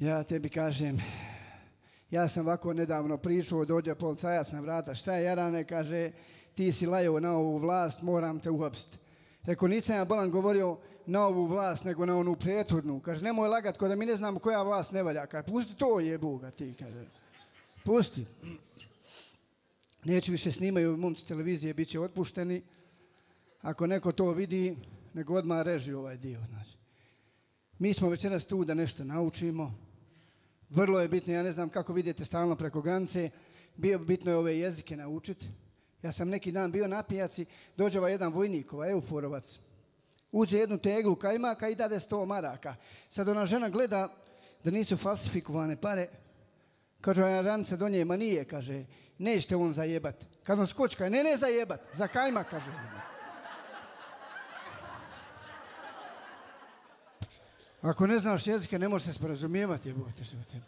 Ja tebi kažem, ja sam ovako nedavno pričao, dođe policajac na vrata, šta je Jarane, kaže, ti si lajao na ovu vlast, moram te uhapsiti. Rekao, nisam ja bolan govorio na ovu vlast, nego na onu prethodnu. Kaže, nemoj lagat, ko da mi ne znamo koja vlast ne valja. Kaže, pusti to jebuga ti, kaže. Pusti. Neće više snimaju momci televizije, bit će otpušteni. Ako neko to vidi, nego odmah reži ovaj dio. Znači. Mi smo večeras tu da nešto naučimo. Vrlo je bitno, ja ne znam kako vidite stalno preko granice, bitno je ove jezike naučiti. Ja sam neki dan bio na pijaci, dođe jedan vojnik, euforovac, uđe jednu teglu kajmaka i dade 100 maraka. Sad ona žena gleda da nisu falsifikovane pare, kaže ona ranica do nje, ma nije, kaže, nećete on zajebat. Kad on skočka, ne zajebat, za kajmak, kaže. Ako ne znaš jezike, ne možeš se sporazumijevati, jebote se o tebi.